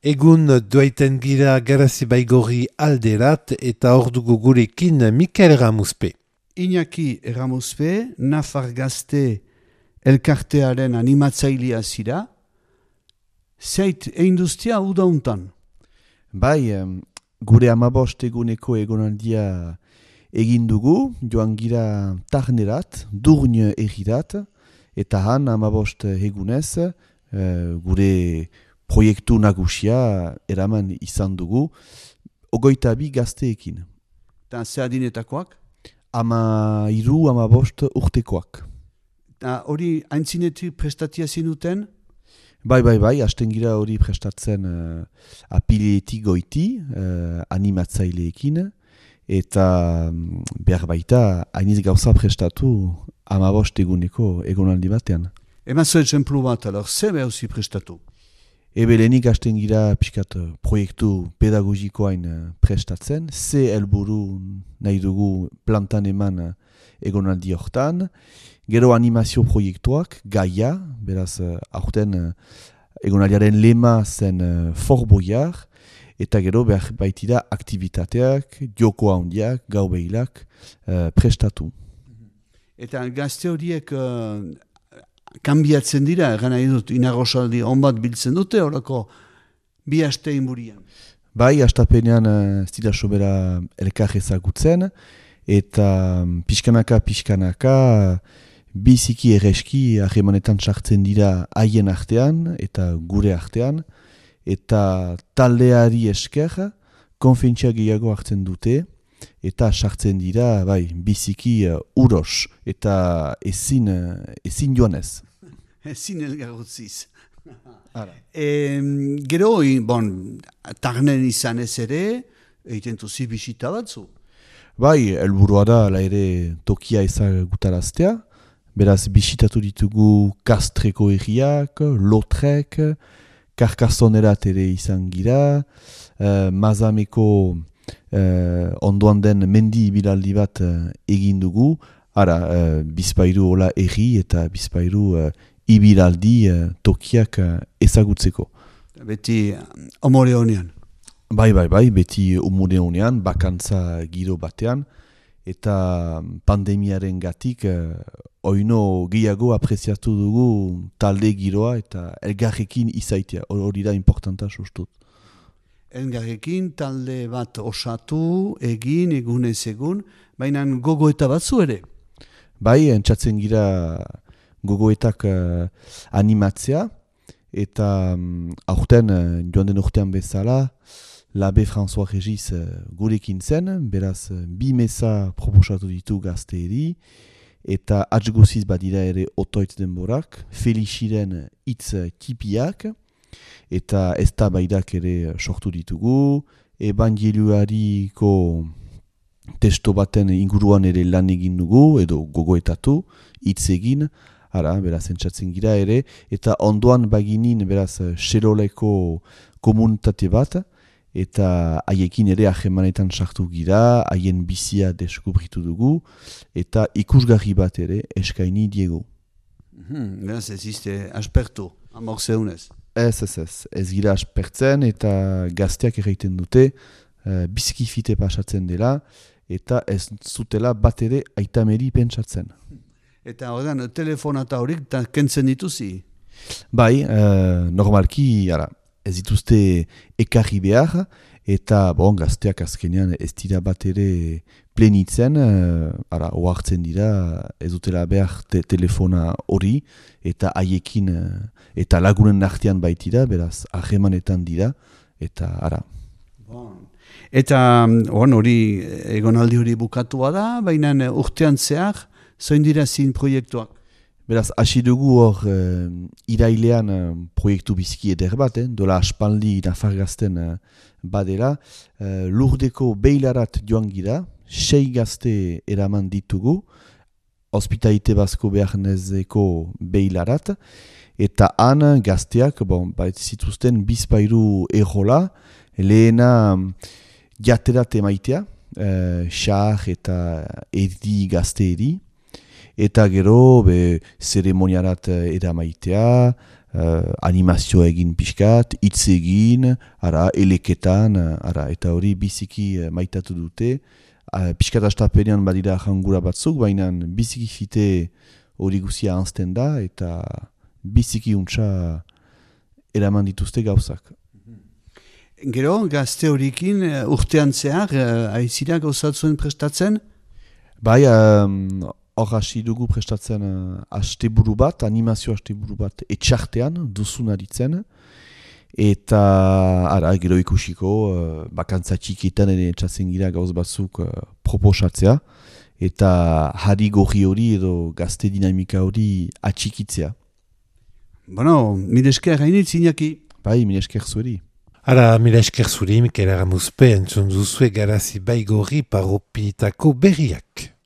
Egun doaiten gira Garazi Baigorri alderat eta hor dugu gurekin Mikel Erramuzpe. Iñaki Erramuzpe, Nafar Gazte elkartearen animatzailea zira, zeit einduztia udauntan. Bai, gure 15 eguneko egonaldia egin dugu, joan gira Tarnerat, Durn egirat, eta han 15 egunez gure proiektu nagusia eraman izan dugu, 22 gazteekin. Eta ze adinetakoak? 13-15 urtekoak. Eta hori aintzinetik prestatia zinuten? Bai, hasten gira hori prestatzen apileetik goiti, animatzaileekin, eta behar baita hainiz gauza prestatu 15 eguneko egonaldi batean. Emazo etxemplu bat, alor, ze behauzi prestatu? Ebelenik hasten gira pixkat proiektu pedagogikoain prestatzen, ze helburu nahi dugu plantan eman egonaldi hortan, gero animazio proiektuak, gaia, beraz aurten egonaldiaren lema zen Fort Boyard, eta gero behar baitira aktivitateak, joko handiak, gau behilak prestatu. Eta gazte horiek kanbiatzen dira, egan nahi dut, inagosaldi onbat biltzen dute, horako bi aste inburian. Bai, astapenean ez dira sobera elkar ezagutzen, eta pixkanaka biziki erreski harremanetan sartzen dira haien artean eta gure artean, eta taldeari esker konfientzia gehiago hartzen dute, eta sartzen dira biziki uros eta ezin joanez. Ezin elgarrotziz. Gero, Tarnen izan ez ere, egiten duzi bisita batzu. Bai, helburua da ala ere tokia ezagutaraztea. Beraz, bisitatu ditugu Kastreko herriak, Lotrek, Karkasonerat ere izan gira, Mazameko ondoan den mendi ibilaldi bat egin dugu, bizpairu hola erri eta bizpairu ibilaldi tokiak ezagutzeko. Beti umore honean. Bai, beti umore honean, bakantza giro batean, eta pandemiaren gatik oino gehiago apreziatu dugu talde giroa eta elgarrekin izaitea, hori da importanta sustut. Elgarrekin talde bat osatu, egin, egunez egun, baina gogoeta batzu ere. Bai, entzatzen gira gogoetak animatzea, eta aurten, joan den urtean bezala, Labe François Regis gurekin zen, beraz, 2 meza proposatu ditu gazteeri, eta atzguziz badira ere otoitz denborak, Felixiren hitz tipiak, eta eztabaidak ere sortu ditugu, evangelioariko testo baten inguruan ere lan egin dugu, edo gogoetatu, hitz egin, beraz entzatzen gira ere, eta ondoan baginin beraz Xeroleko komunitate bat, eta haiekin ere ahemanetan sartu gira, haien bizia deskubritu dugu, eta ikusgarri bat ere eskaini diegu. Beraz ez izte aspertu, amorzeunez. Ez gira aspertzen eta gazteak erraiten dute, biziki fite pasatzen dela, eta ez zutela bat ere aitameri pentsatzen. Eta horrean, telefonata horik kentzen dituzi? Bai, normalki, ez dituzte ekarri behar, eta gazteak azkenean ez dira bat ere plenitzen, ohartzen dira, ez dutela behar telefona hori, eta haiekin, eta lagunen artean baitira, beraz, ahemanetan dira, eta Eta hori egonaldi hori bukatua da, baina urtean zehar, zoin dira zin proiektuak? Beraz, hasi dugu hor irailean proiektu biziki eder bat, dola aspaldi Nafar Gazten badela, Lurdeko Beilarat joan gira, 6 gazte eraman ditugu, Hospitalite Basko Bearnezeko Beilarat, eta han gazteak, zituzten bizpairu errola, lehena jaterat emaitea, xar eta erdi gazteeri, eta gero zeremoniarat eramaitea, animazio egin pixkat, hitz egin, eleketan, eta hori biziki maitatu dute. Pixkat astapenean badira jangura batzuk, baina biziki fite hori guzia anzten da, eta biziki untsa eraman dituzte gauzak. Gero, gazte horikin urtean zehar, aizira gauzatzuen prestatzen? Bai, hor hasi dugu prestatzen asteburu bat, animazio asteburu bat etxartean, duzun aritzen. Eta gero ikusiko, bakantza txikietan ere etxatzen gira gauz batzuk proposatzea. Eta hari gorri hori edo gazte dinamika hori atxikitzea. Bueno, mil esker hainitz, Iñaki. Bai, mil esker zueri. Ara, mila esker zuri, Mikel Aramuzpe, entzun duzue Garazi Baigorri parropitako berriak.